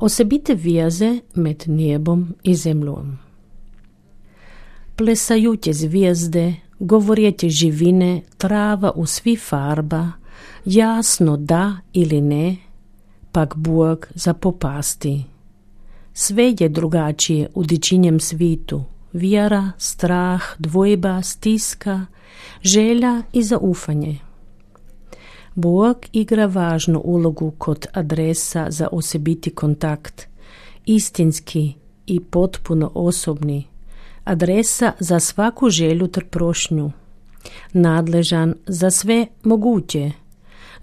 Osobite vijeze med nebom i zemljom. Plesajute zvijezde, govorjete živine, trava u svi farba, jasno da ili ne, pak Bog zapopasti. Sve je drugačije u dičinjem svitu, vjera, strah, dvojba, stiska, želja i zaufanje. Bog igra važnu ulogu kod adresa za osobiti kontakt, istinski i potpuno osobni, adresa za svaku želju ter prošnju, nadležan za sve moguće,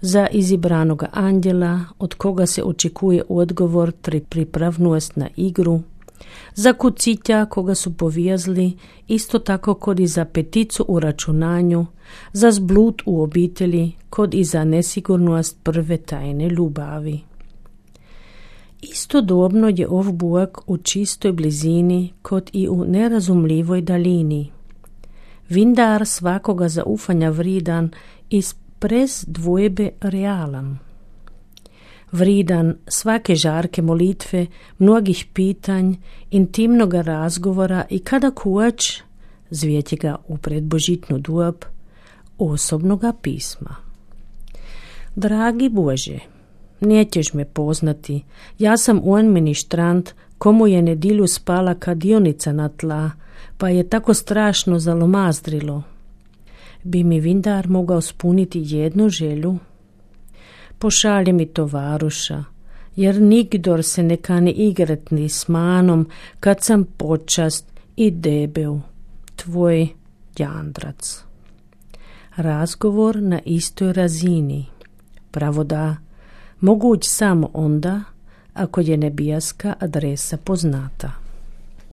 za izibranoga anđela od koga se očekuje odgovor ter pripravnost na igru, za kucitja koga su povijazli, isto tako kod i za peticu u računanju, za zblud u obitelji, kod i za nesigurnost prve tajne ljubavi. Istodobno je ov Bog u čistoj blizini, kod i u nerazumljivoj daljini. Vindar svakoga zaufanja vridan i brez dvojbe realan. Vridan svake žarke molitve, mnogih pitanj, intimnoga razgovora i kada kuć, zvijeti ga u predbožitnu dob, osobnoga pisma. Dragi Bože, nećeš me poznati, ja sam on ministrant, komu je nedilju spala kadionica na tla, pa je tako strašno zalomazdrilo. Bi mi vindar mogao spuniti jednu želju? Pošalje mi tovaruša, jer nigdor se ne kani igrat ni s manom, kad sam počast i debel, tvoj Jandrac. Razgovor na istoj razini, pravo da, moguć samo onda, ako je nebijaska adresa poznata.